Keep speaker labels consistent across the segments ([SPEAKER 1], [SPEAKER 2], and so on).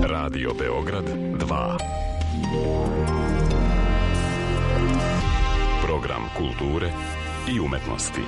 [SPEAKER 1] Radio Beograd 2. Program kulture i umetnosti.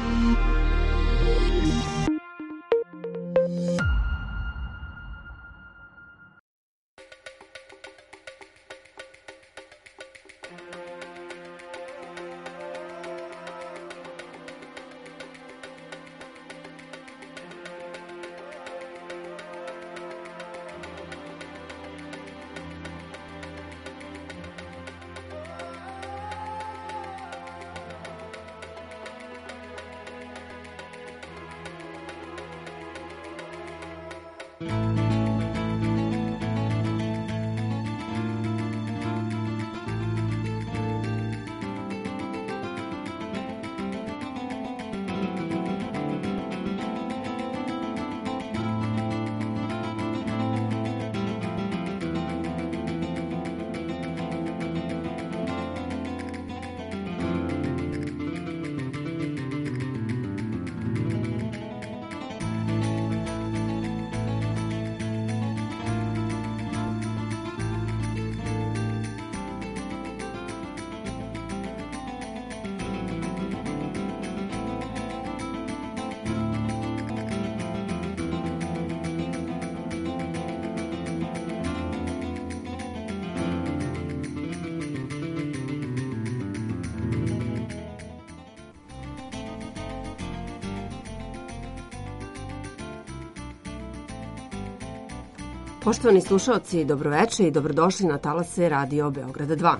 [SPEAKER 2] Poštovani slušaoci, dobroveče i dobrodošli na talase Radio Beograda 2,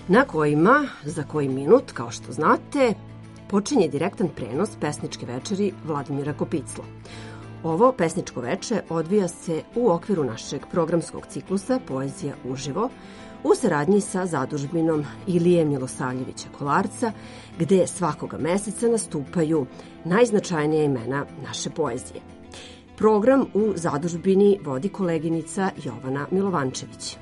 [SPEAKER 2] na kojima za koji minut, kao što znate, počinje direktan prenos pesničke večeri Vladimira Kopicla. Ovo pesničko veče odvija se u okviru našeg programskog ciklusa Poezija uživo u saradnji sa zadužbinom Ilije Milosavljevića Kolarca, gde svakoga meseca nastupaju najznačajnija imena naše poezije. Program u zadužbini vodi koleginica Jovana Milovančević.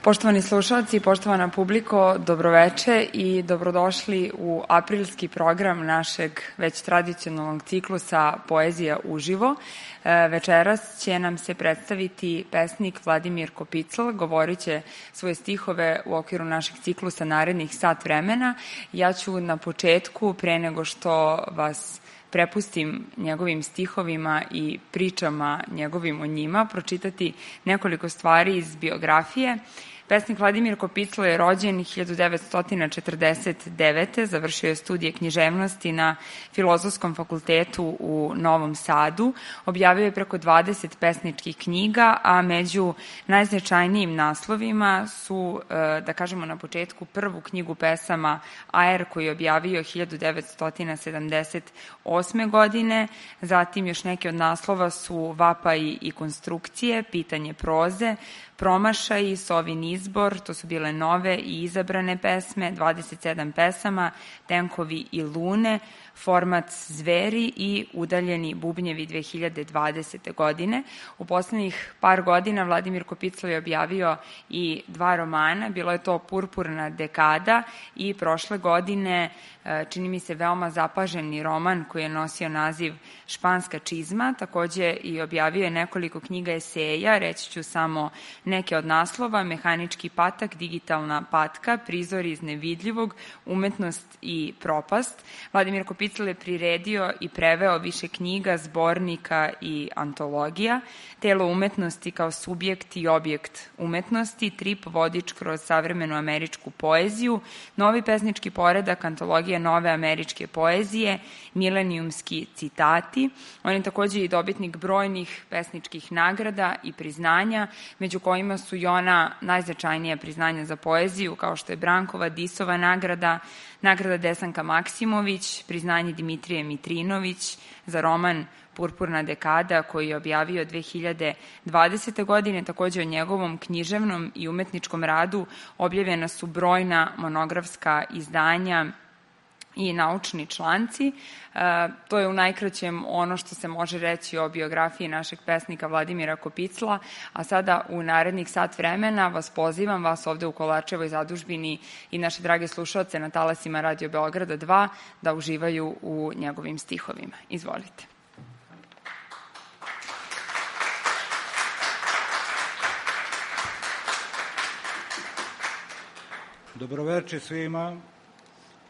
[SPEAKER 3] Poštovani slušalci, poštovana publiko, dobroveče i dobrodošli u aprilski program našeg već tradicionalnog ciklusa Poezija uživo. Večeras će nam se predstaviti pesnik Vladimir Kopicl, govorit će svoje stihove u okviru našeg ciklusa narednih sat vremena. Ja ću na početku, pre nego što vas prepustim njegovim stihovima i pričama njegovim o njima, pročitati nekoliko stvari iz biografije. Pesnik Vladimir Kopicl je rođen 1949. Završio je studije književnosti na Filozofskom fakultetu u Novom Sadu. Objavio je preko 20 pesničkih knjiga, a među najznačajnijim naslovima su, da kažemo na početku, prvu knjigu pesama Aer koju je objavio 1978. godine. Zatim još neke od naslova su Vapaji i konstrukcije, Pitanje proze, Promašaji, Sovin izbor, to su bile nove i izabrane pesme, 27 pesama, Tenkovi i lune, Format zveri i Udaljeni bubnjevi 2020. godine. U poslednjih par godina Vladimir Kopicl je objavio i 2 romana, bilo je to Purpurna dekada i prošle godine, čini mi se, veoma zapaženi roman koji je nosio naziv Španska čizma. Takođe i objavio je nekoliko knjiga eseja, reći ću samo neke od naslova: Mehanički patak, Digitalna patka, Prizori iz nevidljivog, Umetnost i propast. Vladimir Kopicl je priredio i preveo više knjiga, zbornika i antologija: Telo umetnosti kao subjekt i objekt umetnosti, Trip vodič kroz savremenu američku poeziju, Novi pesnički poredak, antologija nove američke poezije, Milenijumski citati. On je takođe i dobitnik brojnih pesničkih nagrada i priznanja, među kojima su i ona najznačajnija priznanja za poeziju, kao što je Brankova Disova nagrada, nagrada Desanka Maksimović, priznanje Dimitrije Mitrinović za roman Purpurna dekada, koji je objavio 2020. godine. Takođe o njegovom književnom i umetničkom radu objavljena su brojna monografska izdanja i naučni članci. To je u najkraćem ono što se može reći o biografiji našeg pesnika Vladimira Kopicla, a sada u narednih sat vremena vas pozivam, vas ovde u Kolarčevoj zadužbini i naše drage slušalce na talasima Radio Beograda 2, da uživaju u njegovim stihovima. Izvolite.
[SPEAKER 4] Dobroveče svima.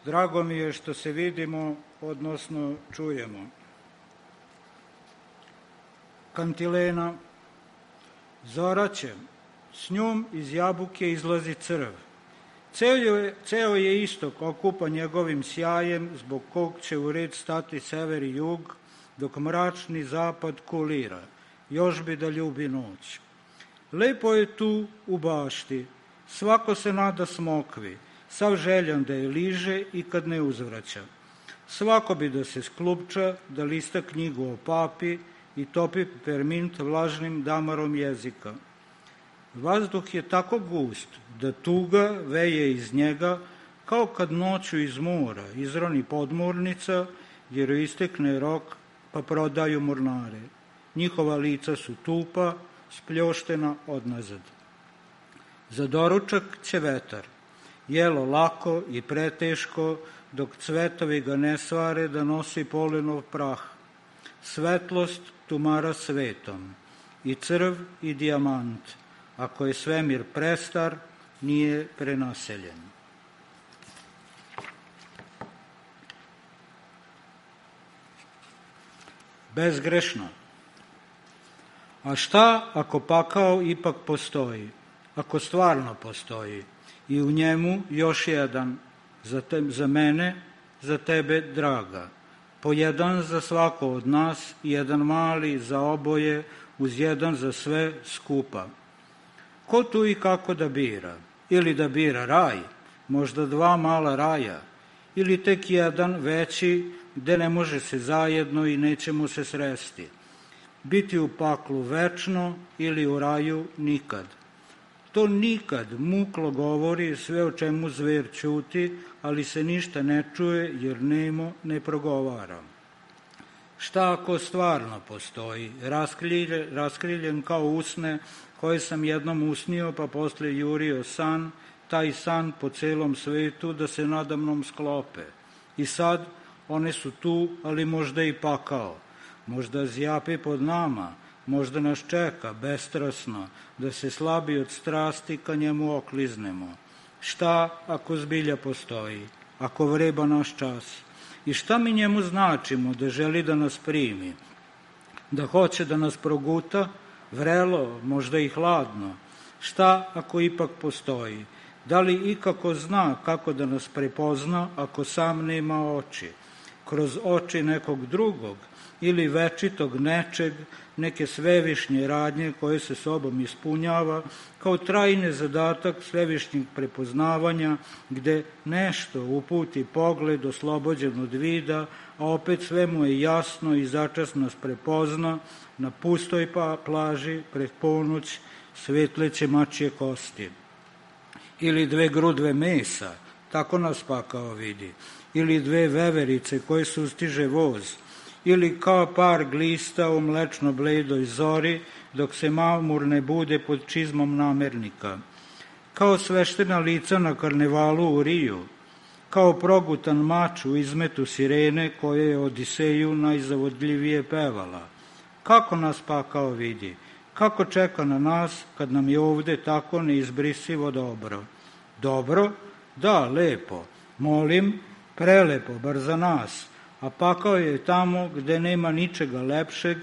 [SPEAKER 4] Drago mi je što se vidimo, odnosno čujemo. Kantilena. Zoraće, s njom iz jabuke izlazi crv. Ceo je istok okupan njegovim sjajem, zbog kog će u red stati sever i jug, dok mračni zapad kulira. Još bi da ljubi noć. Lepo je tu u bašti, svako se nada smokvi, sav željan da je liže i kad ne uzvraća. Svako bi da se sklupča, da lista knjigu o papi i topi permint vlažnim damarom jezika. Vazduh je tako gust da tuga veje iz njega, kao kad noću iz mora izroni podmornica, jer istekne rok pa prodaju mornare. Njihova lica su tupa, spljoštena odnazad. Za doručak će vetar. Jelo lako i preteško, dok cvetovi ga ne svare da nosi polenov prah. Svetlost tumara svetom, i crv i dijamant. Ako je svemir prestar, nije prenaseljen. Bezgrešno. A šta ako pakao ipak postoji? Ako stvarno postoji? I u njemu još jedan, za mene, za tebe draga. Po jedan za svako od nas, jedan mali za oboje, uz jedan za sve skupa. Ko tu i kako da bira? Ili da bira raj, možda dva mala raja, ili tek jedan veći, gde ne može se zajedno i nećemo se sresti. Biti u paklu večno ili u raju nikad. To nikad muklo govori sve o čemu zver ćuti, ali se ništa ne čuje jer nemo ne progovara. Šta ako stvarno postoji, raskriljen kao usne koje sam jednom usnio pa posle jurio san, taj san po celom svetu da se nadamnom sklope. I sad one su tu, ali možda i pakao, možda zjapi pod nama, možda nas čeka bestrasno da se slabi od strasti ka njemu okliznemo. Šta ako zbilja postoji, ako vreba naš čas? I šta mi njemu značimo da želi da nas primi, da hoće da nas proguta, vrelo, možda i hladno? Šta ako ipak postoji? Da li ikako zna kako da nas prepozna ako sam nema oči? Kroz oči nekog drugog ili večitog nečeg, neke svevišnje radnje koje se sobom ispunjava kao trajni zadatak svevišnjeg prepoznavanja, gde nešto uputi pogled oslobođen od vida, a opet sve mu je jasno i začas nas prepozna na pustoj plaži pred ponoć svetleće mačje kosti. Ili dve grudve mesa, tako nas pakao vidi, ili dve veverice koje sustiže voz, ili kao par glista u mlečno bledoj zori, dok se mamur ne bude pod čizmom namernika. Kao sveštena lica na karnevalu u Riju, kao progutan mač u izmetu sirene koje je Odiseju najzavodljivije pevala. Kako nas pakao vidi, kako čeka na nas kad nam je ovde tako neizbrisivo dobro. Dobro? Da, lepo. Molim, prelepo, bar za nas. A pakao je tamo gde nema ničega lepšeg,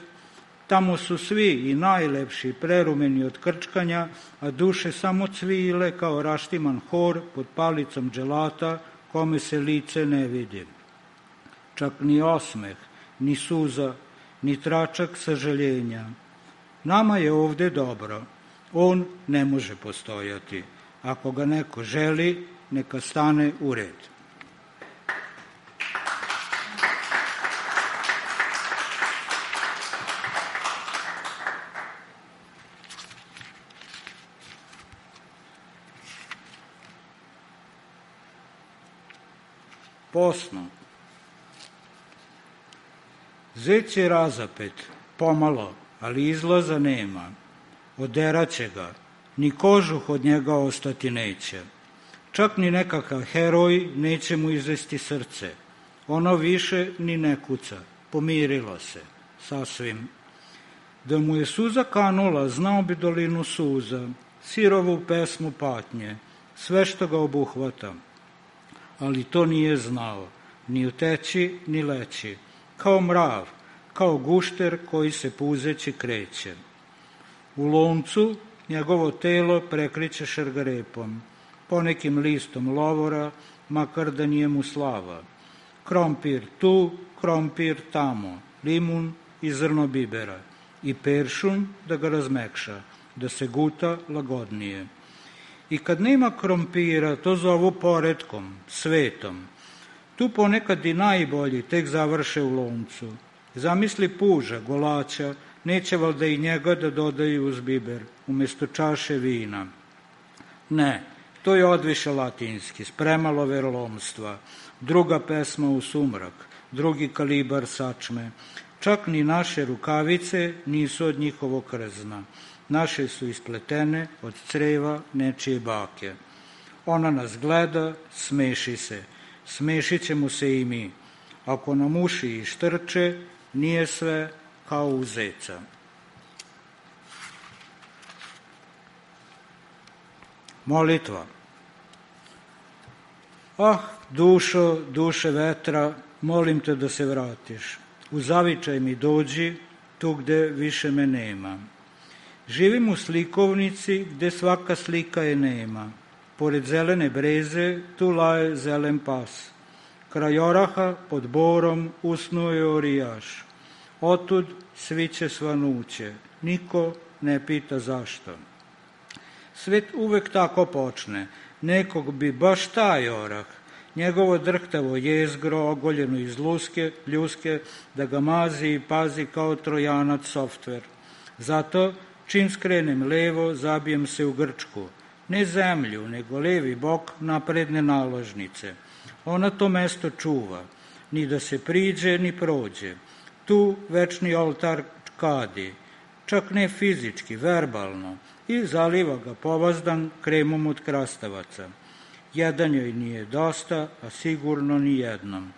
[SPEAKER 4] tamo su svi i najlepši prerumeni od krčkanja, a duše samo cvile kao raštiman hor pod palicom dželata, kome se lice ne vidi. Čak ni osmeh, ni suza, ni tračak sažaljenja. Nama je ovde dobro, on ne može postojati. Ako ga neko želi, neka stane u red. posno. Zec je razapet, pomalo, ali izlaza nema. Oderaće ga, ni kožuh od njega ostati neće. Čak ni nekakav heroj neće mu izvesti srce. Ono više ni ne kuca, pomirilo se, sasvim. Da mu je suza kanula, znao bi dolinu suza, sirovu pesmu patnje, sve što ga obuhvata. Ali to nije znao, ni uteći, ni leći, kao mrav, kao gušter koji se puzeći kreće. U loncu njegovo telo prekriće šargarepom, ponekim listom lovora, makar da nije mu slava. Krompir tu, krompir tamo, limun i zrno bibera i peršun da ga razmekša, da se guta lagodnije. I kad nema krompira, to zovu poretkom, svetom. Tu ponekad i najbolji tek završe u loncu. Zamisli puža, golača, neće valjda i njega da dodaju uz biber, umjesto čaše vina. Ne, to je odviše latinski, spremalo verolomstva, druga pesma u sumrak, drugi kalibar sačme. Čak ni naše rukavice nisu od njihovog krzna. Naše su ispletene od creva nečije bake. Ona nas gleda, smeši se. Smešit ćemo se i mi. Ako nam uši i štrče, nije sve kao u zeca. Molitva. Ah, dušo, duše vetra, molim te da se vratiš. U zavičaj mi dođi, tu gde više me nema. Živim u slikovnici gde svaka slika je nema. Pored zelene breze tu laje zelen pas. Kraj oraha pod borom usnuo je orijaš. Otud sviće svanuće. Niko ne pita zašto. Svet uvek tako počne. Nekog bi baš taj orah, njegovo drhtavo jezgro ogoljeno iz ljuske, da ga mazi i pazi kao trojanac softver. Zato, čim skrenem levo, zabijem se u grčku. Ne zemlju, nego levi bok napredne naložnice. Ona to mesto čuva, ni da se priđe, ni prođe. Tu večni oltar kadi, čak ne fizički, verbalno, i zaliva ga povazdan kremom od krastavaca. Jedan joj nije dosta, a sigurno ni jednom.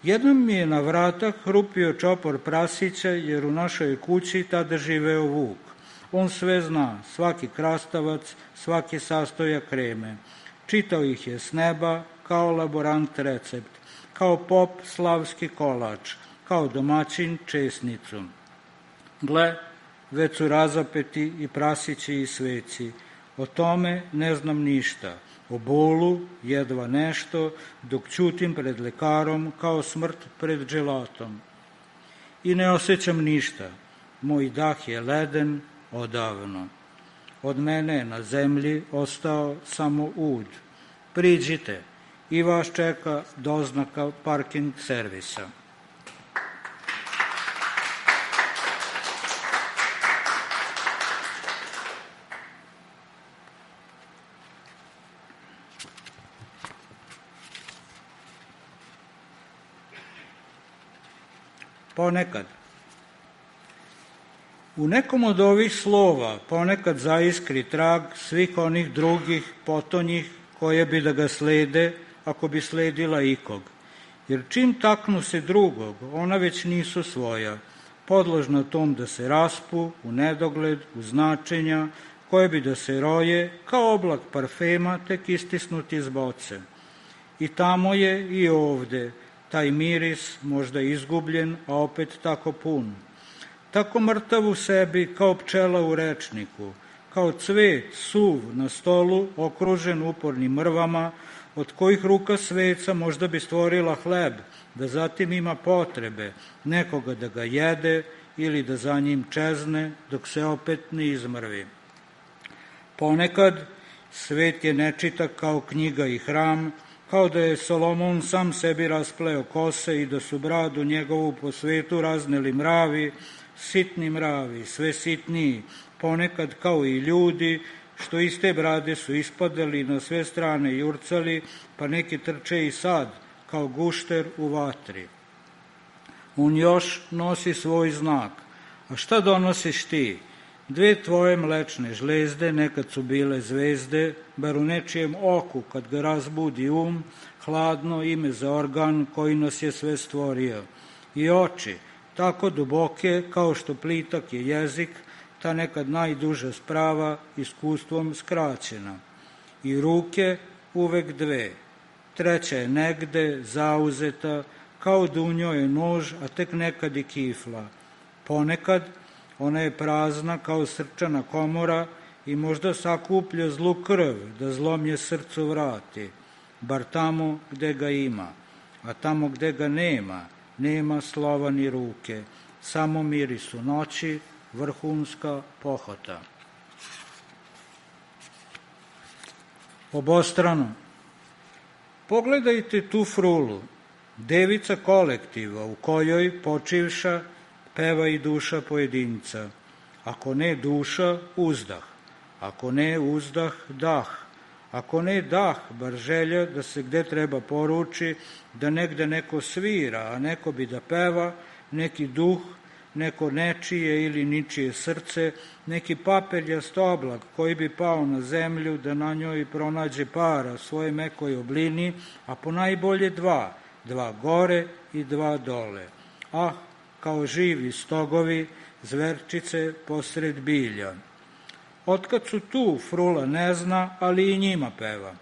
[SPEAKER 4] Jednom mi je na vrata hrupio čopor prasića, jer u našoj kući tada živeo Vuk. On sve zna, svaki krastavac, svaki sastojak kreme. Čitao ih je s neba, kao laborant recept, kao pop slavski kolač, kao domaćin česnicu. Gle, već su razapeti i prasići i sveci. O tome ne znam ništa. O bolu jedva nešto, dok ćutim pred lekarom kao smrt pred dželatom. I ne osjećam ništa. Moj dah je leden odavno. Od mene je na zemlji ostao samo ud. Priđite, i vas čeka doznaka parking servisa. Ponekad. U nekom od ovih slova ponekad zaiskri trag svih onih drugih potonjih koje bi da ga slede, ako bi sledila ikog. Jer čim taknu se drugog, ona već nisu svoja, podložna tom da se raspu u nedogled, u značenja, koje bi da se roje, kao oblak parfema, tek istisnuti iz boce. I tamo je i ovde, taj miris možda izgubljen, a opet tako pun. Tako mrtav u sebi kao pčela u rečniku, kao cvet suv na stolu okružen upornim mrvama, od kojih ruka sveca možda bi stvorila hleb, da zatim ima potrebe nekoga da ga jede ili da za njim čezne dok se opet ne izmrvi. Ponekad svet je nečitak kao knjiga i hram, kao da je Solomon sam sebi raspleo kose i da su bradu njegovu po svetu razneli mravi, sitni mravi, sve sitniji, ponekad kao i ljudi, što iz te brade su ispadali na sve strane jurcali, pa neki trče i sad, kao gušter u vatri. On još nosi svoj znak. A šta donosiš ti? 2 tvoje mlečne žlezde, nekad su bile zvezde, bar u nečijem oku, kad ga razbudi hladno ime za organ koji nas je sve stvorio. I oči, tako duboke kao što plitak je jezik, ta nekad najduža sprava iskustvom skraćena. I ruke uvek 2, 3 je negde, zauzeta, kao da u njoj je nož, a tek nekad i kifla. Ponekad ona je prazna kao srčana komora i možda sakuplja zlu krv da zlomlje srcu vrati, bar tamo gde ga ima. A tamo gde ga nema, nema slova ni ruke, samo mirisu noći, vrhunska pohota. Obostrano. Pogledajte tu frulu, devica kolektiva u kojoj počivša peva i duša pojedinca. Ako ne duša, uzdah. Ako ne uzdah, dah. Ako ne dah, bar želja da se gde treba poruči, da negde neko svira, a neko bi da peva, neki duh, neko nečije ili ničije srce, neki papeljast oblak koji bi pao na zemlju da na njoj pronađe para svoje mekoj oblini, a ponajbolje 2 gore i 2 dole. Ah, kao živi stogovi, zverčice posred bilja. Otkad su tu, frula ne zna, ali i njima peva.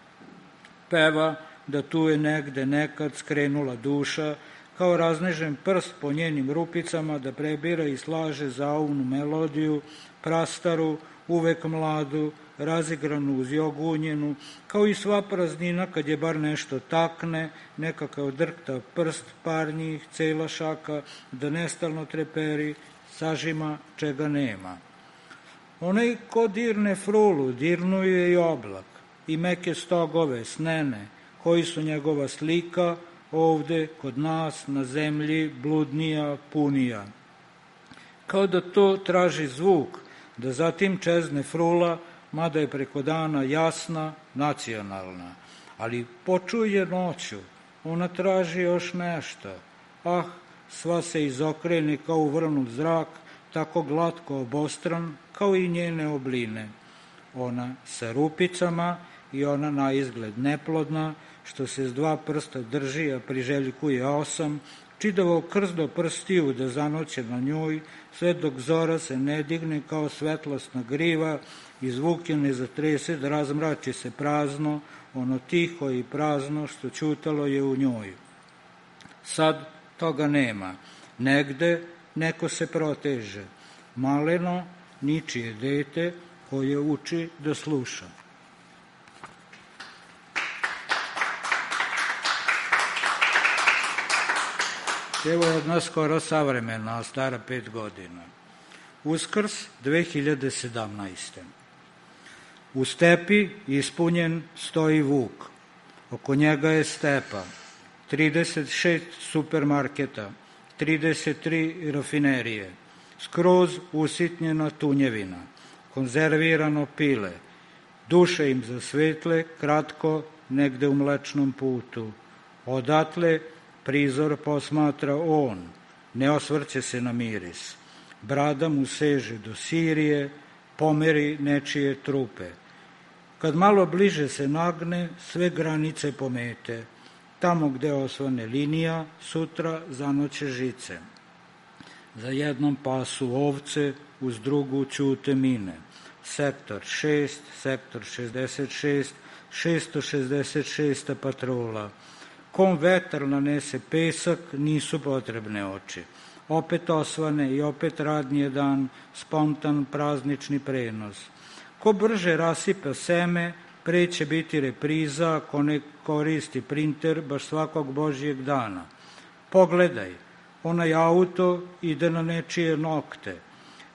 [SPEAKER 4] Peva da tu je negde nekad skrenula duša, kao raznežen prst po njenim rupicama da prebira i slaže zauvnu melodiju, prastaru, uvek mladu, razigranu uz jogunjenu, kao i sva praznina kad je bar nešto takne, nekakav drktav prst, par njih, cela šaka, da nestalno treperi, sažima čega nema. Onaj ko dirne frulu, dirnuje i oblak, i meke stogove, snene, koji su njegova slika, ovde, kod nas, na zemlji, bludnija, punija. Kao da to traži zvuk, da zatim čezne frula, mada je preko dana jasna, nacionalna. Ali počuje noću, ona traži još nešto. Ah, sva se izokrene kao uvrnut zrak, tako glatko obostran, kao i njene obline. Ona sa rupicama i ona na izgled neplodna, što se s 2 prsta drži, a priželjkuje 8, čidavo krzdo prstiju da zanoće na njoj, sve dok zora se ne digne kao svetlosna griva i zvuk je ne zatrese da razmrači se prazno, ono tiho i prazno što ćutalo je u njoj. Sad toga nema. Negde neko se proteže. Maleno, ničije dete koje uči da sluša. Evo je jedna skoro savremena, stara 5 godina. Uskrs 2017. U stepi ispunjen stoji vuk. Oko njega je stepa. 36 supermarketa, 33 rafinerije, skroz usitnjena tunjevina, konzervirano pile, duše im zasvetle, kratko, negde u Mlečnom putu. Odatle prizor posmatra on, ne osvrće se na miris. Brada mu seže do Sirije, pomeri nečije trupe. Kad malo bliže se nagne, sve granice pomete. Tamo gde osvane linija, sutra zanoće žice. Za jednom pasu ovce, uz drugu ćute mine. Sektor 6, sektor 66, 666. patrola. Kom vetar nanese pesak, nisu potrebne oči. Opet osvane i opet radnije dan, spontan praznični prenos. Ko brže rasipa seme, pre će biti repriza ako ne koristi printer baš svakog Božjeg dana. Pogledaj, onaj auto ide na nečije nokte.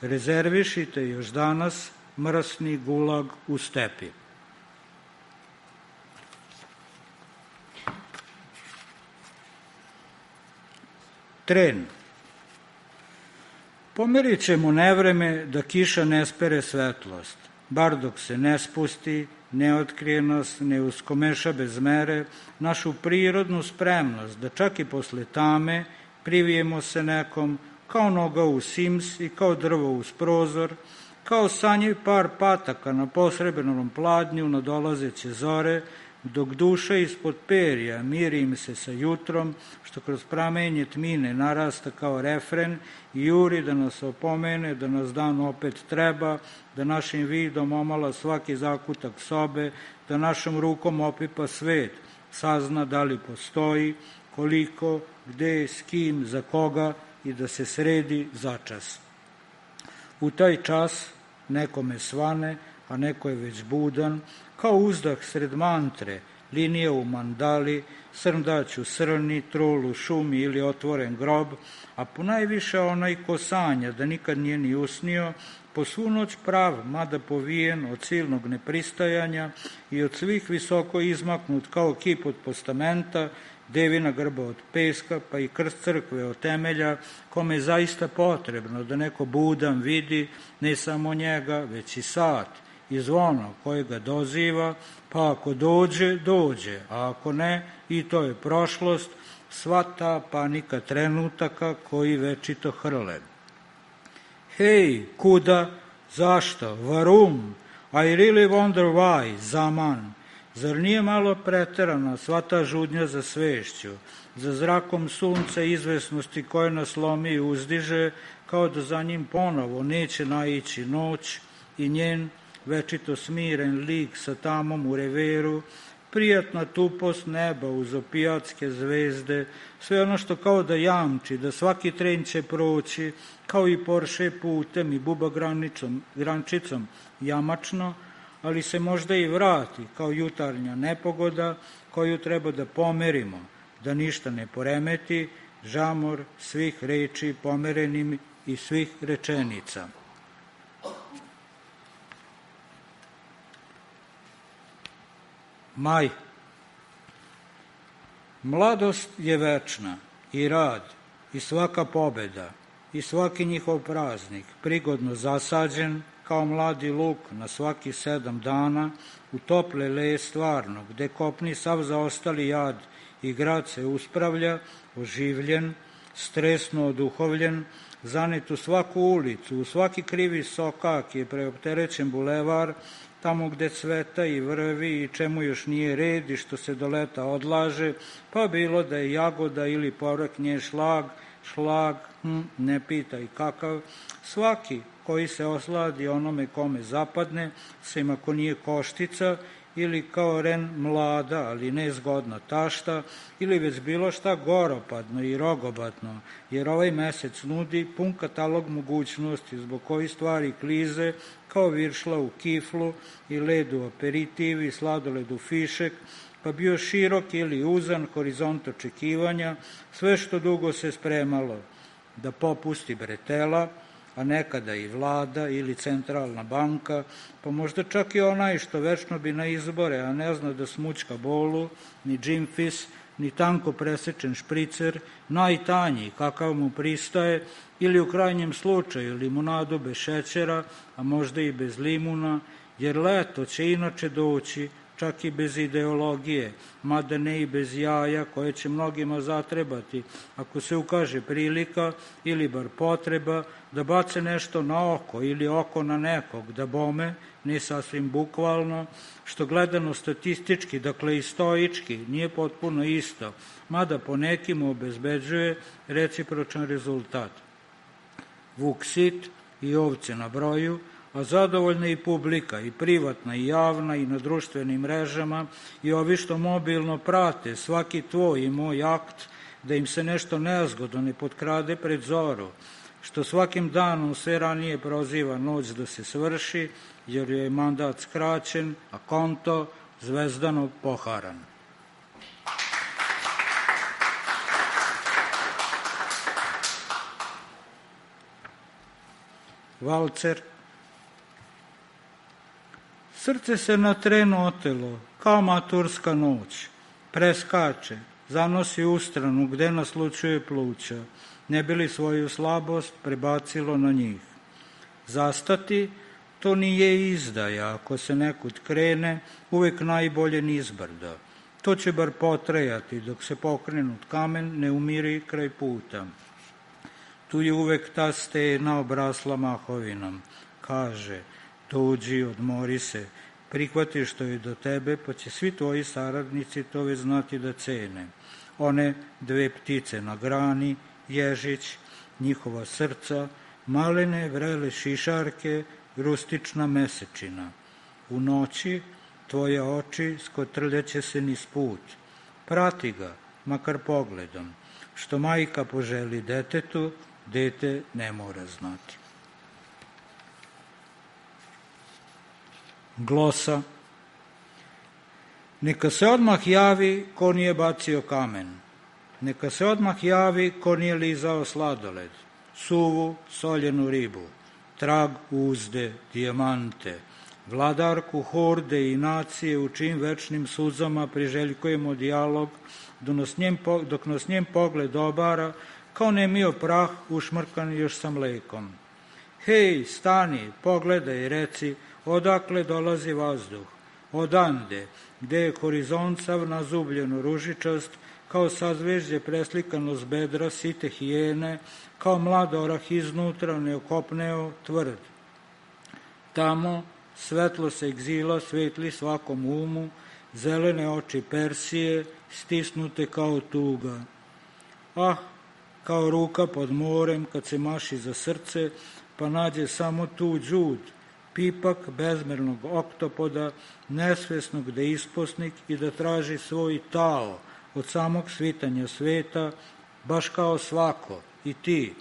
[SPEAKER 4] Rezervišite još danas mrsni gulag u stepi. Tren. Pomerit ćemo nevreme da kiša ne spere svetlost, bar dok se ne spusti, ne otkrije nas, ne uskomeša bez mere, našu prirodnu spremnost da čak i posle tame privijemo se nekom, kao noga u Sims i kao drvo uz prozor, kao sanjiv par pataka na posrebrnom pladnju nadolazeće zore, dok duša ispod perja miri im se sa jutrom, što kroz pramenje tmine narasta kao refren i juri da nas opomene, da nas dan opet treba, da našim vidom omala svaki zakutak sobe, da našom rukom opipa svet, sazna da li postoji, koliko, gde, s kim, za koga i da se sredi začas. U taj čas nekome svane, a neko je već budan, kao uzdah sred mantre, linija u mandali, srndać u srni, trul u šumi ili otvoren grob, a ponajviše onaj ko sanja da nikad nije ni usnio, po svu noć prav, mada povijen od silnog nepristajanja i od svih visoko izmaknut kao kip od postamenta, devina grba od peska, pa i krst crkve od temelja, kome je zaista potrebno da neko budan vidi ne samo njega, već i sat i zvono koje ga doziva, pa ako dođe, dođe, a ako ne, i to je prošlost, sva ta panika trenutaka koji večito hrle. Hej, kuda, zašto, varum, I really wonder why, zaman. Zar nije malo preterana sva ta žudnja za svešću, za zrakom sunca i izvesnosti koje nas lomi i uzdiže, kao da za njim ponovo neće naići noć i njen večito smiren lik sa tamom u reveru, prijatna tupost neba uz opijatske zvezde, sve ono što kao da jamči, da svaki tren će proći, kao i Porsche putem i buba grančicom jamačno, ali se možda i vrati kao jutarnja nepogoda koju treba da pomerimo, da ništa ne poremeti, žamor svih reči pomerenim i svih rečenica. Maj. Mladost je večna i rad i svaka pobeda i svaki njihov praznik prigodno zasađen kao mladi luk na svaki 7 dana u tople leje stvarno, gde kopni sav zaostali jad i grad se uspravlja, oživljen, stresno oduhovljen, zanet u svaku ulicu, u svaki krivi sokak je preopterećen bulevar, tamo gde cveta i vrvi i čemu još nije red i što se do leta odlaže, pa bilo da je jagoda ili povrh nje šlag, ne pitaj kakav, svaki koji se osladi onome kome zapadne, sem ako nije koštica, ili kao ren mlada, ali nezgodna tašta, ili već bilo šta goropadno i rogobatno, jer ovaj mesec nudi pun katalog mogućnosti zbog koji stvari klize kao viršla u kiflu i led u aperitiv i sladoled u fišek, pa bio širok ili uzan horizont očekivanja, sve što dugo se spremalo, da popusti bretela, a nekada i vlada ili centralna banka, pa možda čak i onaj što večno bi na izbore, a ne zna da smučka bolu, ni džimfis, ni tanko presečen špricer, najtanji kakav mu pristaje, ili u krajnjem slučaju limunadu bez šećera, a možda i bez limuna, jer leto će inače doći, čak i bez ideologije, mada ne i bez jaja koje će mnogima zatrebati, ako se ukaže prilika ili bar potreba da bace nešto na oko ili oko na nekog, da bome, ne sasvim bukvalno, što gledano statistički, dakle i stoički, nije potpuno isto, mada po nekim obezbeđuje recipročan rezultat. Vuk sit i ovce na broju, a zadovoljna i publika, i privatna, i javna, i na društvenim mrežama, i ovi što mobilno prate svaki tvoj i moj akt, da im se nešto nezgodno ne potkrade pred zoru, što svakim danom sve ranije proziva noć da se svrši, jer je mandat skraćen, a konto zvezdano poharan. Valcer. Srce se na tren otelo, kao maturska noć, preskače, zanosi u stranu gde naslučuje pluća, ne bi li svoju slabost prebacilo na njih. Zastati, To nije izdaja, ako se nekud krene, uvek najbolje nizbrdo. To će bar potrajati, dok se pokrenut kamen ne umiri kraj puta. Tu je uvek ta stena obrasla mahovinom. Kaže, dođi, odmori se, prihvati što je do tebe, pa će svi tvoji saradnici to već znati da cene. One 2 ptice na grani, ježić, njihova srca, malene vrele šišarke, rustična mesečina. U noći tvoje oči skotrljaće se niz put. Prati ga, makar pogledom. Što majka poželi detetu, dete ne mora znati. Glosa. Neka se odmah javi ko nije bacio kamen. Neka se odmah javi ko nije lizao sladoled, suvu, soljenu ribu, trag uzde, dijamante, vladarku horde i nacije u čim večnim suzama priželjkujemo dijalog, dok nas njen pogled obara kao nemio prah ušmrkan još sa mlekom. Hej, stani, pogledaj i reci, odakle dolazi vazduh, odande, gde je horizont sav nazubljeno ružičast, kao sazvežđe preslikano s bedra site hijene, kao mlad orah iznutra neokopneo tvrd. Tamo svetlo se egzila svetli svakom umu, zelene oči Persije stisnute kao tuga. Ah, kao ruka pod morem kad se maši za srce, pa nađe samo tu đud, pipak bezmernog oktopoda, nesvesnog da isposnik i da traži svoj tao od samog svitanja sveta, baš kao svako, i ti.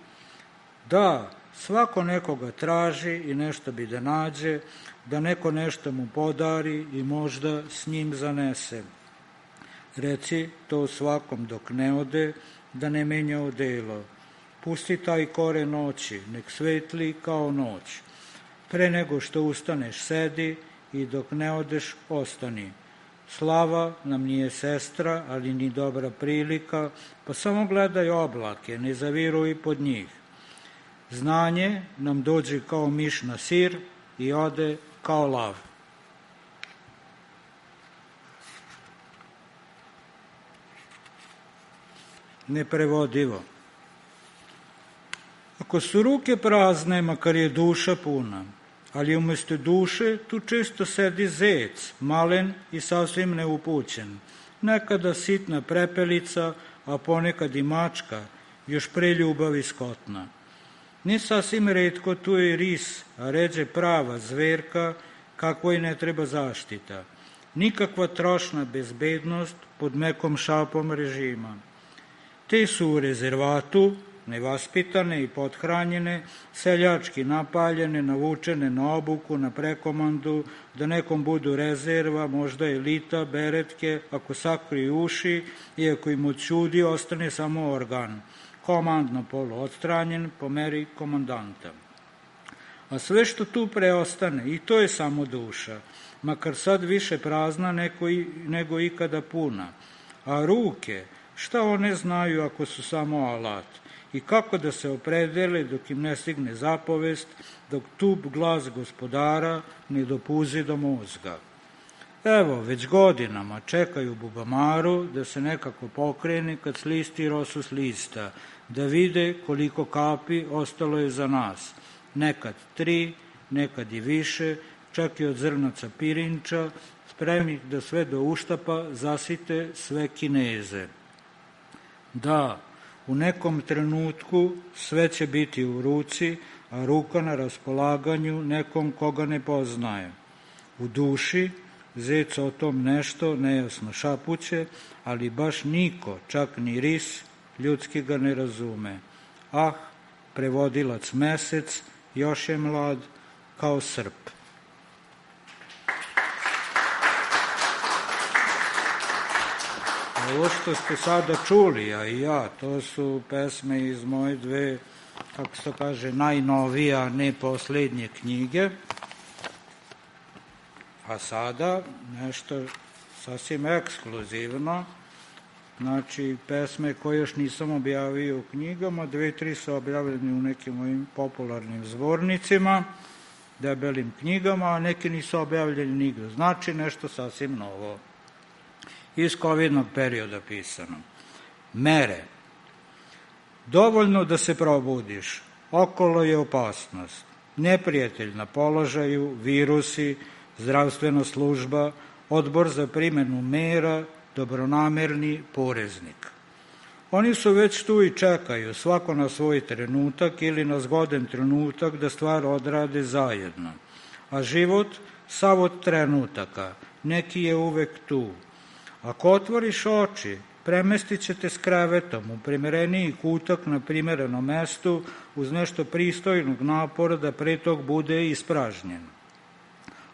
[SPEAKER 4] Da, svako nekoga traži i nešto bi da nađe, da neko nešto mu podari i možda s njim zanese. Reci to svakom dok ne ode, da ne menja odelo. Pusti taj kore noći, nek svetli kao noć. Pre nego što ustaneš sedi i dok ne odeš ostani. Slava nam nije sestra, ali ni dobra prilika, pa samo gledaj oblake, ne zaviruj pod njih. Znanje nam dođe kao miš na sir i ode kao lav. Neprevodivo. Ako su ruke prazne, makar je duša puna, ali umesto duše tu često sedi zec, malen i sasvim neupućen, nekada sitna prepelica, a ponekad i mačka, još pre ljubavi skotna. Ni sasvim retko tu je ris, a ređe prava zverka, kakvoj ne treba zaštita. Nikakva trošna bezbednost pod mekom šapom režima. Te su u rezervatu, nevaspitane i pothranjene, seljački napaljene, navučene na obuku, na prekomandu, da nekom budu rezerva, možda elita, beretke, ako sakriju uši i ako im odćudi, ostane samo organ. Komandno polo odstranjen po meri komandanta. A sve što tu preostane, i to je samo duša, makar sad više prazna nego ikada puna. A ruke, šta one znaju ako su samo alat? I kako da se opredele dok im ne stigne zapovest, dok tup glas gospodara ne dopuzi do mozga. Evo, već godinama čekaju bubamaru da se nekako pokrene kad slisti rosu s lista, da vide koliko kapi ostalo je za nas. Nekad 3, nekad i više, čak i od zrnaca pirinča, spremnih da sve do uštapa zasite sve Kineze. Da, u nekom trenutku sve će biti u ruci, a ruka na raspolaganju nekom koga ne poznaje. U duši zec o tom nešto nejasno šapuće, ali baš niko, čak ni ris, ljudski ga ne razume. Ah, prevodilac Mesec još je mlad kao srp. Ovo što ste sada čuli, a i ja, to su pesme iz moje 2, kako se to kaže, najnovije, a ne poslednje knjige. A sada nešto sasvim ekskluzivno, znači pesme koje još nisam objavio u knjigama, 2-3 su objavljene u nekim mojim popularnim zbornicima, debelim knjigama, a neki nisu objavljeni nigde. Znači nešto sasvim novo. Iz covidnog perioda pisano. Mere. Dovoljno da se probudiš. Okolo je opasnost. Neprijatelj na položaju, virusi, zdravstvena služba, odbor za primjenu mera, dobronamerni poreznik. Oni su već tu i čekaju, svako na svoj trenutak ili na zgodan trenutak da stvar odrade zajedno. A život, sav od trenutaka, neki je uvek tu. Ako otvoriš oči, premestit će te s krevetom u primereniji kutak na primerenom mestu uz nešto pristojnog napora da pre tog bude ispražnjen.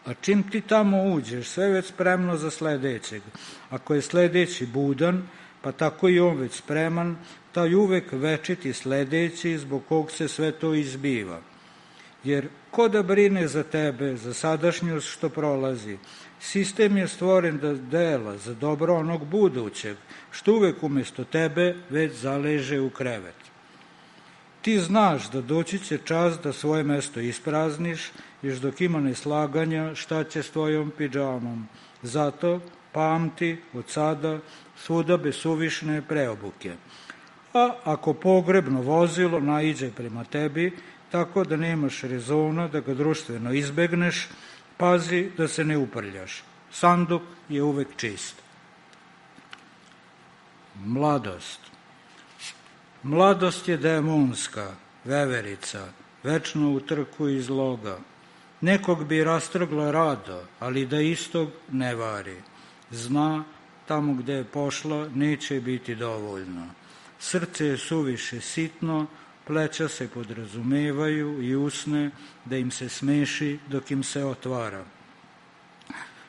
[SPEAKER 4] A čim ti tamo uđeš, sve već spremno za sledećeg. Ako je sledeći budan, pa tako i on već spreman, taj uvek večiti sledeći zbog kog se sve to izbiva. Jer ko da brine za tebe, za sadašnjost što prolazi? Sistem je stvoren da dela za dobro onog budućeg, što uvek umesto tebe već zaleže u krevet. Ti znaš da doći će čas da svoje mesto isprazniš, još dok ima neslaganja šta će s tvojom pidžamom. Zato pamti od sada svuda bez suvišne preobuke. A ako pogrebno vozilo naiđe prema tebi, tako da nemaš rezona da ga društveno izbegneš, pazi da se ne uprljaš. Sanduk je uvek čist. Mladost. Mladost je demonska, veverica, večno u trku iz loga. Nekog bi rastrgla rado, ali da istog ne vari. Zna, tamo gde je pošla, neće biti dovoljno. Srce je suviše sitno, pleća se podrazumevaju i usne da im se smeši dok im se otvara.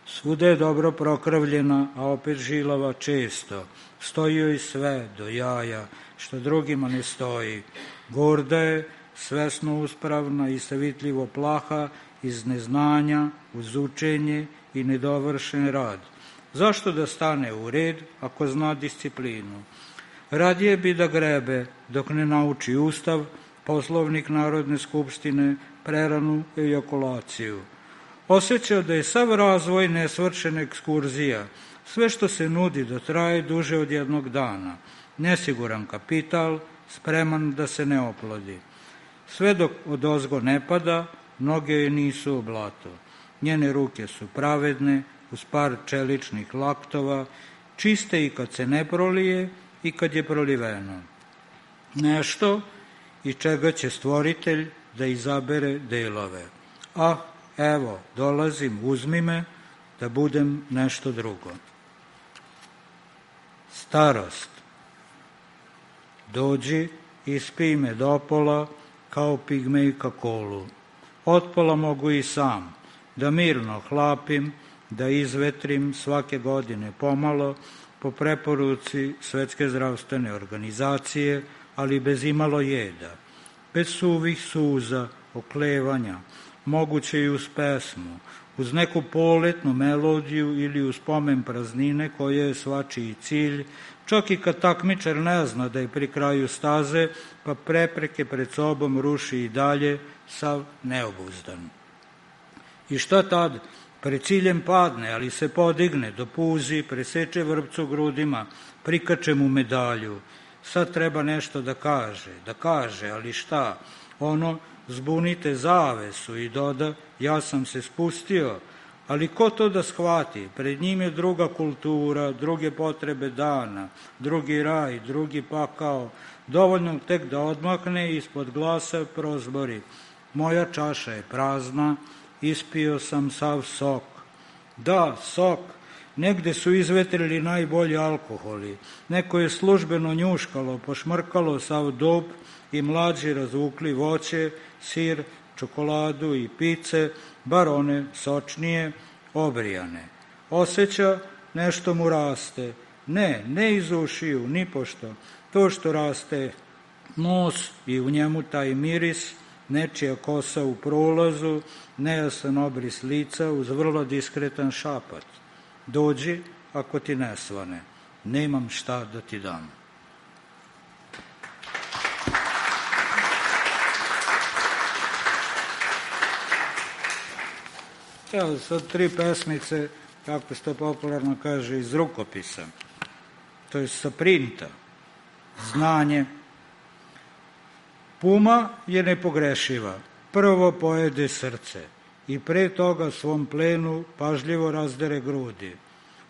[SPEAKER 4] Svuda je dobro prokravljena, a opet žilava često. Stoji joj sve do jaja, što drugima ne stoji. Gorda je, svesno uspravna i savitljivo plaha iz neznanja, uz učenje i nedovršen rad. Zašto da stane u red ako zna disciplinu? Radije bi da grebe dok ne nauči Ustav, Poslovnik Narodne skupštine, preranu ejakulaciju. Osjeća da je sav razvoj nesvršena ekskurzija, sve što se nudi da traje duže od jednog dana, nesiguran kapital, spreman da se ne oplodi. Sve dok odozgo ne pada, noge joj nisu u blato. Njene ruke su pravedne, uz par čeličnih laktova, čiste i kad se ne prolije i kad je proliveno. Nešto i čega će stvoritelj da izabere delove. Ah, evo, dolazim, uzmi me, da budem nešto drugo. Starost. Dođi, ispij me dopola, kao pigmejka kolu. Otpola mogu i sam, da mirno hlapim, da izvetrim svake godine pomalo, po preporuci Svetske zdravstvene organizacije, ali bez imalo jeda, bez suvih suza, oklevanja, moguće i uz pesmu, uz neku poletnu melodiju ili uz pomen praznine koja je svačiji cilj, čak i kad takmičar ne zna da je pri kraju staze, pa prepreke pred sobom ruši i dalje, sav neobuzdan. I šta tad? Pred ciljem padne, ali se podigne, dopuzi, preseče vrpcu grudima, prikače mu medalju. Sad treba nešto da kaže, ali šta? Ono, zbunite zavesu i doda, ja sam se spustio, ali ko to da shvati? Pred njim je druga kultura, druge potrebe dana, drugi raj, drugi pakao, dovoljno tek da odmakne ispod glasa prozbori. Moja čaša je prazna, ispio sam sav sok. Da, sok. Negde su izvetrili najbolji alkoholi. Neko je službeno njuškalo, pošmrkalo sav dop i mlađi razvukli voće, sir, čokoladu i pice, bar one sočnije, obrijane. Osjeća nešto mu raste. Ne iz ušiju, ni pošto. To što raste nos i u njemu taj miris, nečija kosa u prolazu, nejasan obris lica uz vrlo diskretan šapat. Dođi ako ti ne svane, nemam šta da ti dam. Evo, sad 3 pesmice, kako se to popularno kaže, iz rukopisa, to je sa printa, znanje. Puma je nepogrešiva, prvo pojede srce i pre toga svom plenu pažljivo razdere grudi.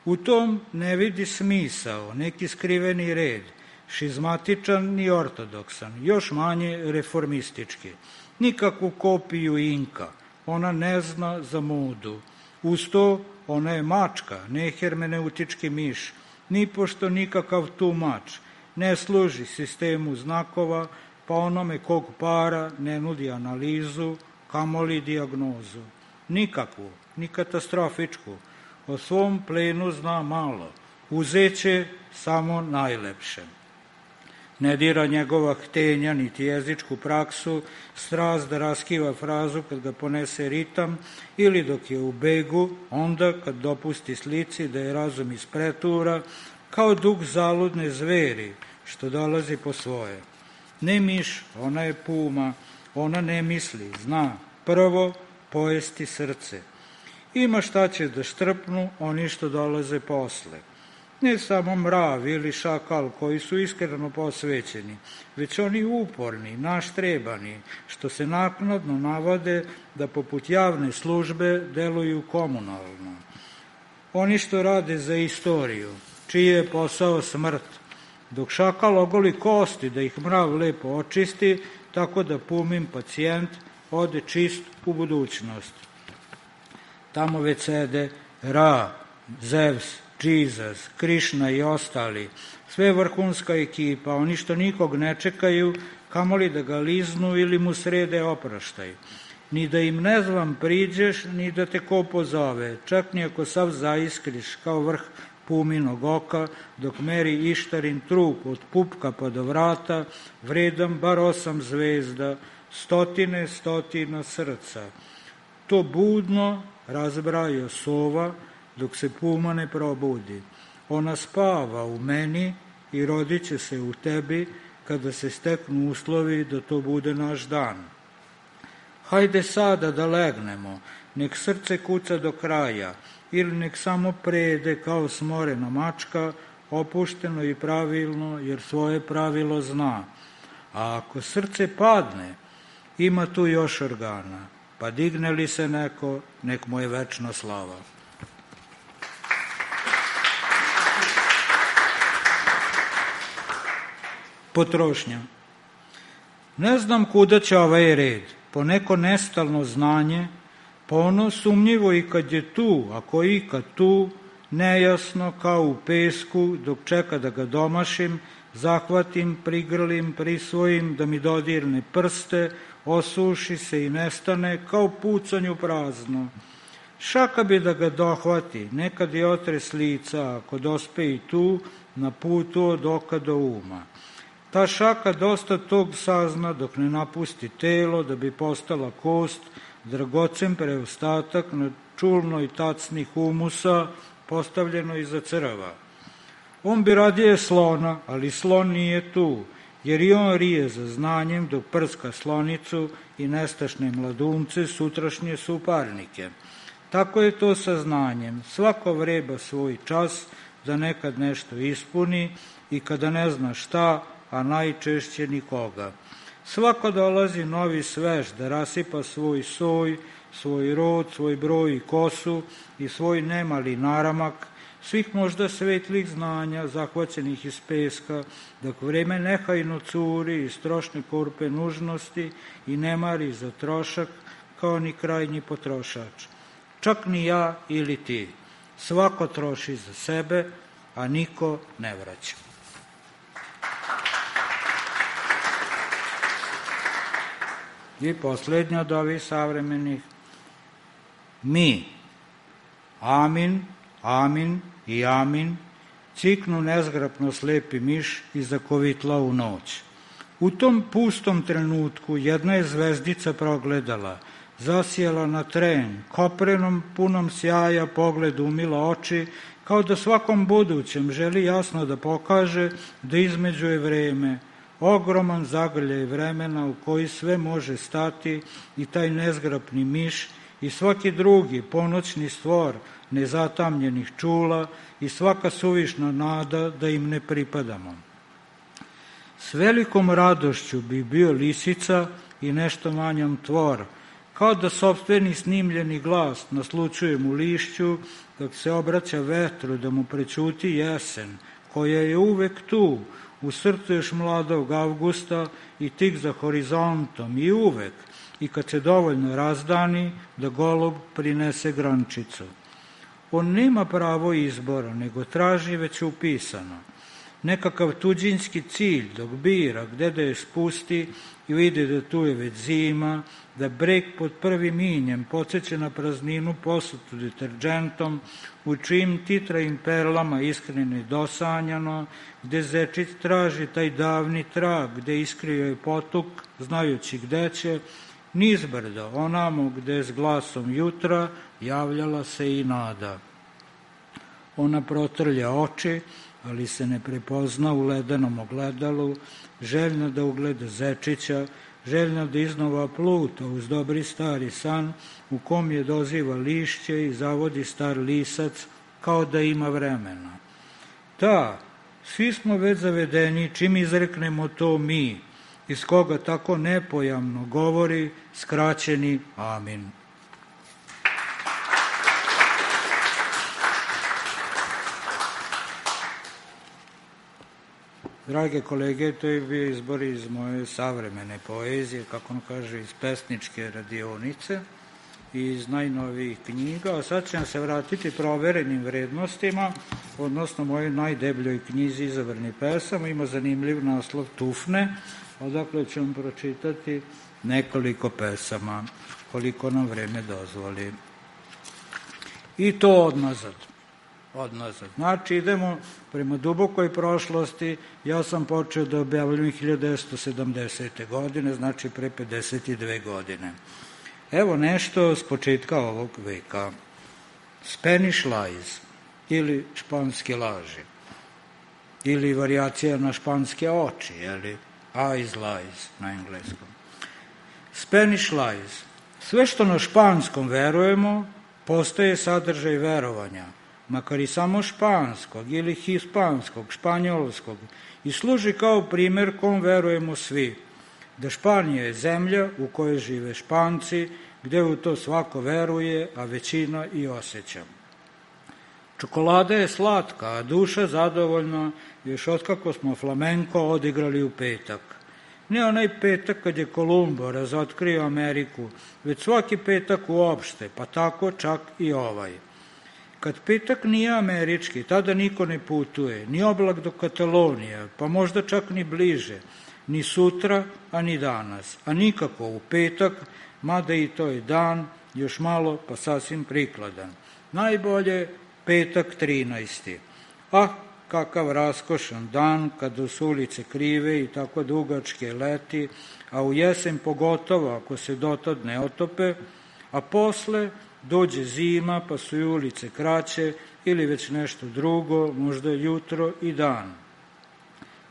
[SPEAKER 4] U tom ne vidi smisao, neki skriveni red, šizmatičan ni ortodoksan, još manje reformistički. Nikakvu kopiju Inka, ona ne zna za modu. Uz to ona je mačka, ne hermeneutički miš, nipošto nikakav tumač, ne služi sistemu znakova, pa onome kog para ne nudi analizu, kamoli dijagnozu. Nikakvu, ni katastrofičku, o svom plenu zna malo, uzeće samo najlepše. Ne dira njegova htenja, niti jezičku praksu, strast da raskiva frazu kad ga ponese ritam, ili dok je u begu, onda kad dopusti slici da je razum iz pretura, kao duh zaludne zveri, što dolazi po svoje. Ne miš, ona je puma, ona ne misli, zna, prvo pojesti srce. Ima šta će da štrpnu oni što dolaze posle. Ne samo mrav ili šakal koji su iskreno posvećeni, već oni uporni, naštrebani, što se naknadno navode da poput javne službe deluju komunalno. Oni što rade za istoriju, čiji je posao smrt, dok šakal ogoli kosti da ih mrav lepo očisti, tako da pumin pacijent ode čist u budućnost. Tamo već sede Ra, Zevs, Jesus, Krišna i ostali, sve vrhunska ekipa, oni što nikog ne čekaju, kamoli da ga liznu ili mu srede opraštaj. Ni da im nezvan priđeš, ni da te ko pozove, čak ni ako sav zaiskriš kao vrh puminog oka, dok meri Ištarin trup od pupka pa do vrata, vredan bar 8 zvezda, stotine srca. To budno razbraja sova, dok se puma ne probudi. Ona spava u meni i rodit će se u tebi kada se steknu uslovi da to bude naš dan. Hajde sada da legnemo, nek srce kuca do kraja, ili nek samo prede kao smorena mačka, opušteno i pravilno, jer svoje pravilo zna. A ako srce padne, ima tu još organa, pa digne li se neko, nek mu je večna slava. Potrošnja. Ne znam kuda će ovaj red, po neko nestalno znanje, po ono sumnjivo i kad je tu, ako je ikad tu, nejasno kao u pesku, dok čeka da ga domašim, zahvatim, prigrlim, prisvojim, da mi dodirne prste, osuši se i nestane, kao pucanju prazno. Šaka bi da ga dohvati, nekad je otres lica, ako dospe i tu, na putu od oka do uma. Ta šaka dosta tog sazna dok ne napusti telo da bi postala kost, dragocen preostatak na čulnoj tacni humusa postavljeno iza crva. On bi radije slona, ali slon nije tu, jer i on rije za znanjem dok prska slonicu i nestašne mladunce sutrašnje suparnike. Tako je to sa znanjem. Svako vreba svoj čas da nekad nešto ispuni i kada ne zna šta, a najčešće nikoga. Svako dolazi novi svež da rasipa svoj soj, svoj rod, svoj broj i kosu i svoj nemali naramak, svih možda svetlih znanja zahvaćenih iz peska, dok vreme nehajno curi iz trošne korpe nužnosti i ne mari za trošak kao ni krajnji potrošač. Čak ni ja ili ti. Svako troši za sebe, a niko ne vraća. I posljednja od ovih savremenih. Mi, amin, amin i amin, ciknu nezgrapno slepi miš i zakovitla u noć. U tom pustom trenutku jedna je zvezdica progledala, zasijala na tren, koprenom punom sjaja pogled umila oči, kao da svakom budućem želi jasno da pokaže da između je vreme, ogroman zagrljaj vremena u koji sve može stati i taj nezgrapni miš i svaki drugi ponoćni stvor nezatamljenih čula i svaka suvišna nada da im ne pripadamo. S velikom radošću bi bio lisica i nešto manjom tvor, kao da sopstveni snimljeni glas naslučujem u lišću, dok se obraća vetru da mu prećuti jesen, koja je uvek tu, u srcu još mladog avgusta i tik za horizontom, i uvek, i kad se dovoljno razdani, da golub prinese grančicu. On nema pravo izbora, nego traži već upisano. Nekakav tuđinski cilj dok bira gde da je spusti i vidi da tu je već zima, da breg pod prvim injem podsjeća na prazninu posutu deterđentom, u čijim titrajim perlama iskreno i dosanjano, gde zečić traži taj davni trag, gde iskrio je potuk, znajući gde će, nizbrdo, onamo gde s glasom jutra javljala se i nada. Ona protrlja oči, ali se ne prepozna u ledenom ogledalu, željna da ugleda zečića, željna da iznova pluta uz dobri stari san, u kom je doziva lišće i zavodi star lisac, kao da ima vremena. Da, svi smo već zavedeni čim izreknemo to mi, iz koga tako nepojamno govori skraćeni amin. Drage kolege, to je bio izbor iz moje savremene poezije, kako on kaže, iz pesničke radionice i iz najnovijih knjiga, a sad ćemo se vratiti proverenim vrednostima, odnosno mojoj najdebljoj knjizi Izabrani pesama, ima zanimljiv naslov Tufne, odakle ćemo pročitati nekoliko pesama, koliko nam vreme dozvoli. I to odnazad. Znači, idemo prema dubokoj prošlosti. Ja sam počeo da objavljujem 1970. godine, znači pre 52 godine. Evo nešto s početka ovog veka. Spanish lies, ili španske laži, ili varijacija na španske oči, ili eyes lies na engleskom. Spanish lies. Sve što na španskom verujemo, postaje sadržaj verovanja, makar i samo španskog ili hispanskog, španjolskog, i služi kao primer kom verujemo svi, da Španija je zemlja u kojoj žive Španci, gde u to svako veruje, a većina i osjeća. Čokolada je slatka, a duša zadovoljna, još otkako smo flamenko odigrali u petak. Ne onaj petak kad je Kolumbo razotkrio Ameriku, već svaki petak uopšte, pa tako čak i ovaj. Kad petak nije američki, tada niko ne putuje, ni oblak do Katalonije, pa možda čak ni bliže, ni sutra, a ni danas, a nikako u petak, mada i to je dan, još malo pa sasvim prikladan. Najbolje petak 13. Ah, kakav raskošan dan, kada su ulice krive i tako dugačke leti, a u jesen pogotovo ako se dotad ne otope, a posle dođe zima pa su i ulice kraće ili već nešto drugo, možda jutro i dan.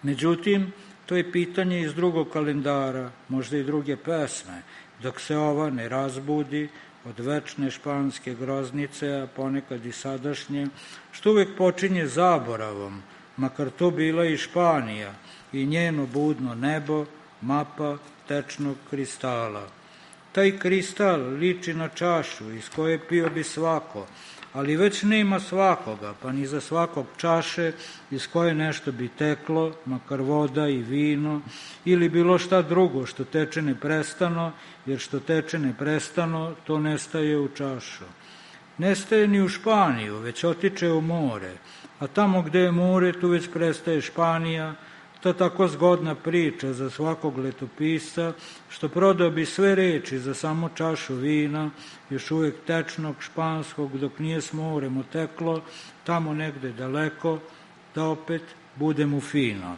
[SPEAKER 4] Međutim, to je pitanje iz drugog kalendara, možda i druge pesme, dok se ova ne razbudi od večne španske groznice, a ponekad i sadašnje, što uvek počinje zaboravom, makar to bila i Španija i njeno budno nebo, mapa tečnog kristala. Taj kristal liči na čašu iz koje pio bi svako, ali već nema svakoga, pa ni za svakog čaše iz koje nešto bi teklo, makar voda i vino, ili bilo šta drugo što teče neprestano, jer što teče neprestano, to nestaje u čašu. Nestaje ni u Španiju, već otiče u more, a tamo gde je more, tu već prestaje Španija. To tako zgodna priča za svakog letopisca, što prodao bi sve reči za samo čašu vina, još uvek tečnog španskog, dok nije s morem oteklo, tamo negde daleko, da opet bude mu fino.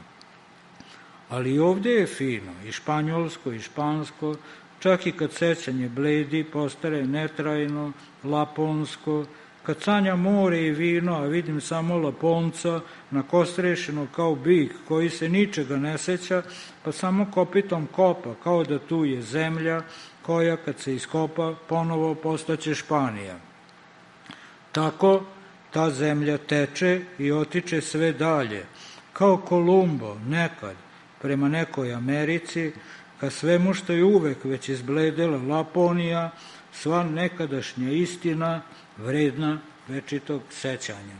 [SPEAKER 4] Ali i ovde je fino, i španjolsko, i špansko, čak i kad sećanje bledi, postare netrajno, laponsko, kad sanja more i vino, a vidim samo Laponca, nakostrešeno kao bik, koji se ničega ne seća, pa samo kopitom kopa, kao da tu je zemlja, koja kad se iskopa ponovo postaće Španija. Tako ta zemlja teče i otiče sve dalje, kao Kolumbo nekad prema nekoj Americi, ka svemu što je uvek već izbledela Laponija, sva nekadašnja istina vredna večitog sećanja.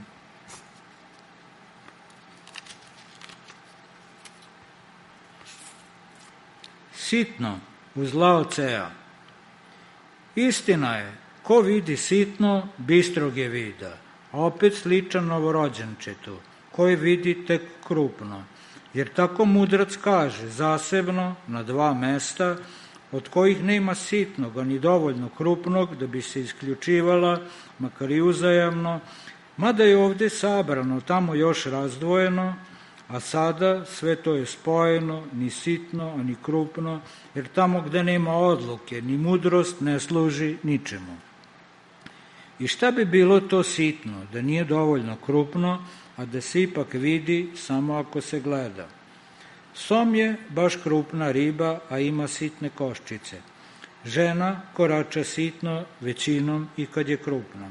[SPEAKER 4] Sitno uz Lao Tsea. Istina je, ko vidi sitno, bistrog je vida, a opet sličan novorođenčetu, koji vidi tek krupno. Jer tako mudrac kaže, zasebno, na dva mesta, od kojih nema sitnog, ani dovoljno krupnog, da bi se isključivala, makar i uzajamno, mada je ovde sabrano, tamo još razdvojeno, a sada sve to je spojeno, ni sitno, ani krupno, jer tamo gde nema odluke, ni mudrost ne služi ničemu. I šta bi bilo to sitno, da nije dovoljno krupno, a da se ipak vidi samo ako se gleda? Som je baš krupna riba, a ima sitne koščice. Žena korača sitno većinom i kad je krupna.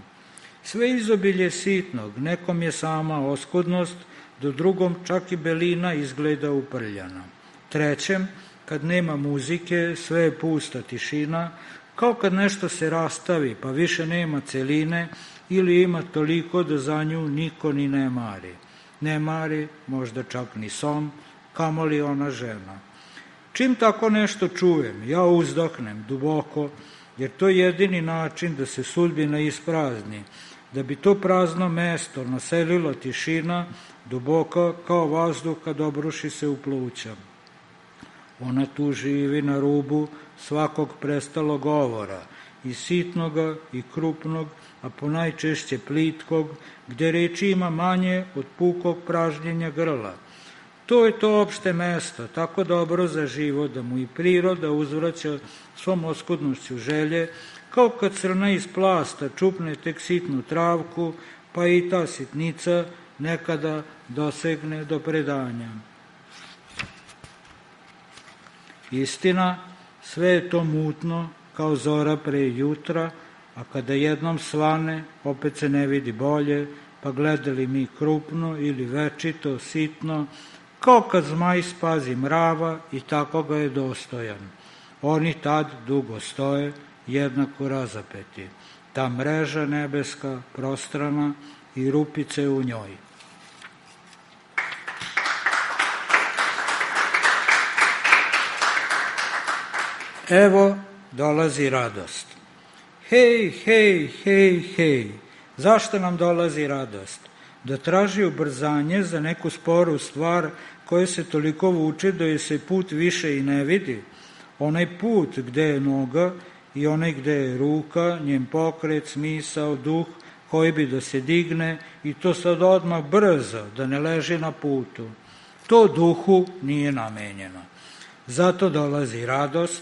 [SPEAKER 4] Sve izobilje sitnog, nekom je sama oskudnost, do drugom čak i belina izgleda uprljana. Trećem, kad nema muzike, sve je pusta tišina, kao kad nešto se rastavi, pa više nema celine, ili ima toliko da za nju niko ni ne mari. Ne mari, možda čak ni som, kamoli ona žena. Čim tako nešto čujem, ja uzdahnem duboko, jer to je jedini način da se sudbina isprazni, da bi to prazno mesto naselila tišina, duboka kao vazduh kad obruši se u pluća. Ona tu živi na rubu svakog prestalog govora, i sitnoga i krupnog, a ponajčešće plitkog, gde reči ima manje od pukog pražnjenja grla. To je to opšte mesto, tako dobro za život, da mu i priroda uzvraća svom oskudnošću želje, kao kad crna iz plasta čupne tek sitnu travku, pa i ta sitnica nekada dosegne do predanja. Istina, sve je to mutno, kao zora pre jutra, a kada jednom svane, opet se ne vidi bolje, pa gledali mi krupno ili večito, sitno, kao kad zmaj spazi mrava i tako ga je dostojan. Oni tad dugo stoje, jednako razapeti. Ta mreža nebeska, prostrana i rupice u njoj. Evo dolazi radost. Hej, hej, hej, hej. Zašto nam dolazi radost? Da traži ubrzanje za neku sporu stvar koja se toliko vuče da je se put više i ne vidi. Onaj put gde je noga i onaj gde je ruka, njen pokret, smisao, duh, koji bi da se digne i to sad odmah brzo, da ne leži na putu. To duhu nije namenjeno. Zato dolazi radost,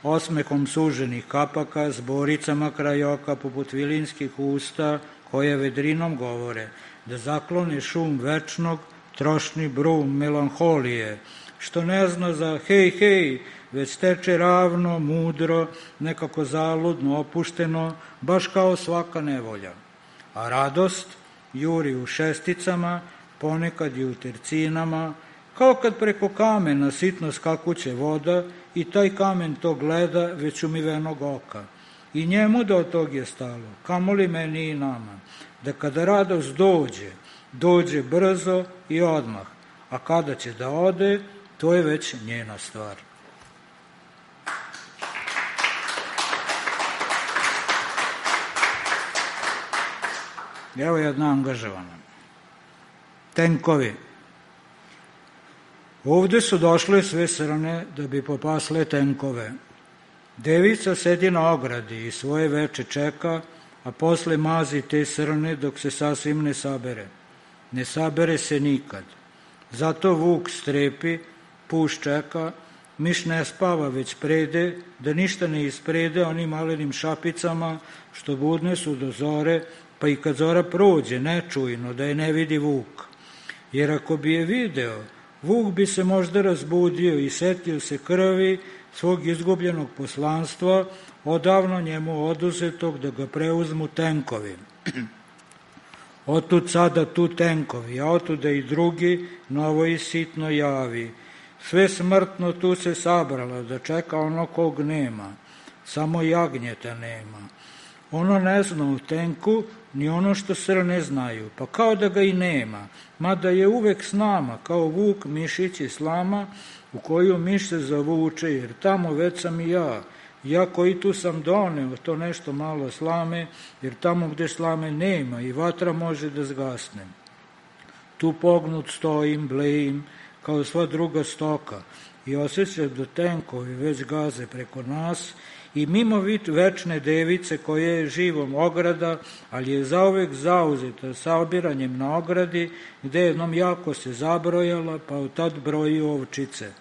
[SPEAKER 4] osmehom suženih kapaka, s boricama kraj oka poput vilinskih usta, koje vedrinom govore, da zaklone šum večnog, trošni brum melanholije, što ne zna za hej, hej, već teče ravno, mudro, nekako zaludno, opušteno, baš kao svaka nevolja. A radost juri u šesticama, ponekad i u tercinama, kao kad preko kamena sitno skakuće voda i taj kamen to gleda već umivenog oka. I njemu da od tog je stalo, kamoli meni i nama, da kada radost dođe, dođe brzo i odmah, a kada će da ode, to je već njena stvar. Evo jedna angažovana. Tenkovi. Ovde su došle sve srne da bi popasle tenkove. Devica sedi na ogradi i svoje veče čeka, a posle mazi te srne dok se sasvim ne sabere. Ne sabere se nikad. Zato vuk strepi, puš čeka, miš ne spava već prede, da ništa ne isprede onim malenim šapicama što budne su do zore, pa i kad zora prođe nečujno da je ne vidi vuk. Jer ako bi je video, vuk bi se možda razbudio i setio se krvi svog izgubljenog poslanstva, odavno njemu oduzetog da ga preuzmu tenkovi. Otud sada tu tenkovi, a otuda i drugi, novo i sitno javi. Sve smrtno tu se sabralo, da čeka ono kog nema, samo jagnjeta nema. Ono ne zna u tenku, ni ono što srne znaju, pa kao da ga i nema, mada je uvek s nama, kao vuk, mišić i slama, u koju miš se zavuče, jer tamo već sam i ja koji tu sam doneo to nešto malo slame, jer tamo gde slame nema i vatra može da zgasne. Tu pognut stojim, blejim, kao sva druga stoka, i osjećam da tenkovi već gaze preko nas, i mimo večne device koja je živom ograda, ali je zauvek zauzeta saobiranjem na ogradi, gde jednom jako se zabrojala, pa od tad broji ovčice.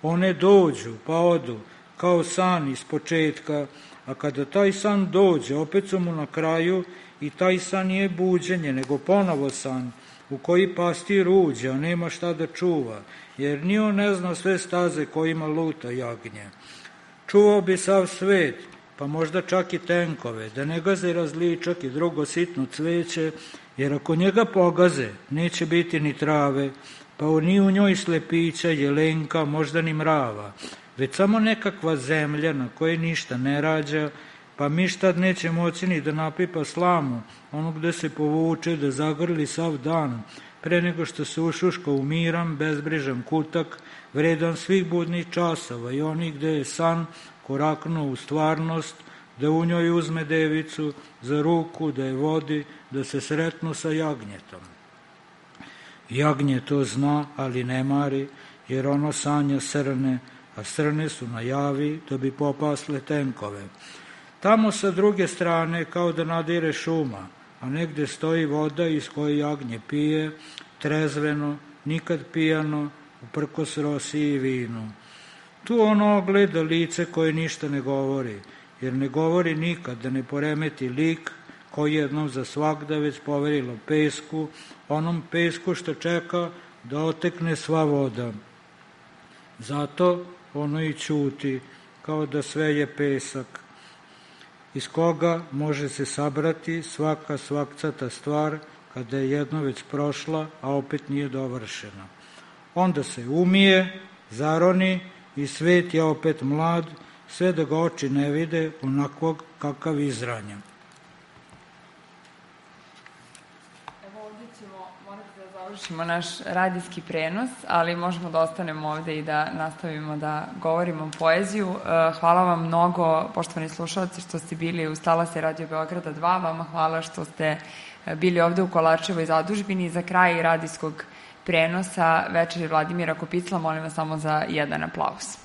[SPEAKER 4] One dođu, pa odu, kao san iz početka, a kada taj san dođe, opet su mu na kraju, i taj san nije buđenje, nego ponovo san, u koji pastir uđe, a nema šta da čuva, jer ni on ne zna sve staze kojima luta jagnje. Čuvao bi sav svet, pa možda čak i tenkove, da ne gaze različak i drugo sitno cveće, jer ako njega pogaze, neće biti ni trave, pa ni u njoj slepića, jelenka, možda ni mrava, već samo nekakva zemlja na kojoj ništa ne rađa, pa miš tad neće moći ni da napipa slamu, ono gde se povuče, da zagrli sav dan, pre nego što se ušuška u miran, bezbrižan kutak, vredan svih budnih časova i onih gde je san koraknuo u stvarnost, da u njoj uzme devicu za ruku, da je vodi, da se sretnu sa jagnjetom. Jagnje to zna, ali ne mari, jer ono sanja srne, a srne su na javi da bi popasle tenkove. Tamo sa druge strane kao da nadire šuma, a negde stoji voda iz koje jagnje pije, trezveno, nikad pijano, uprkos rosi i vinu. Tu ono ogleda lice koje ništa ne govori, jer ne govori nikad da ne poremeti lik koji jednom za svakda već poverilo pesku, onom pesku što čeka da otekne sva voda. Zato ono i ćuti, kao da sve je pesak, iz koga može se sabrati svaka svakcata stvar kada je jedno već prošla, a opet nije dovršena. Onda se umije, zaroni i svet je opet mlad, sve da ga oči ne vide onakvog kakav izranja.
[SPEAKER 3] Evo ovdje ćemo morati da završimo naš radijski prenos, ali možemo da ostanemo ovde i da nastavimo da govorimo poeziju. Hvala vam mnogo, poštovani slušalci, što ste bili uz talase Radio Beograda 2. Vama hvala što ste bili ovde u Kolarčevoj zadužbini. Za kraj radijskog prenosa večeri Vladimira Kopicla, molim vas samo za jedan aplauz.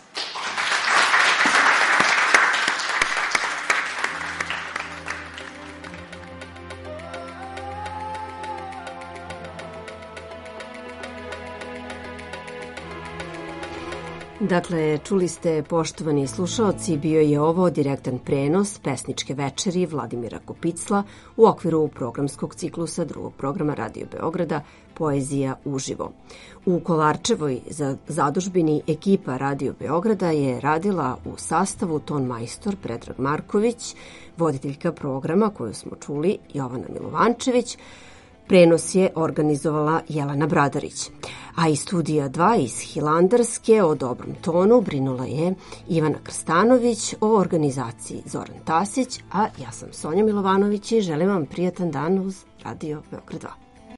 [SPEAKER 2] Dakle, čuli ste, poštovani slušaoci, bio je ovo direktan prenos pesničke večeri Vladimira Kopicla u okviru programskog ciklusa drugog programa Radio Beograda Poezija uživo. U Kolarčevoj zadužbini ekipa Radio Beograda je radila u sastavu ton majstor Predrag Marković, voditeljka programa koju smo čuli Jovana Milovančević, prenos je organizovala Jelena Bradarić. A iz studija 2 iz Hilandarske o dobrom tonu brinula je Ivana Krstanović, o organizaciji Zoran Tasić, a ja sam Sonja Milovanović i želim vam prijatan dan uz Radio Beograd 2.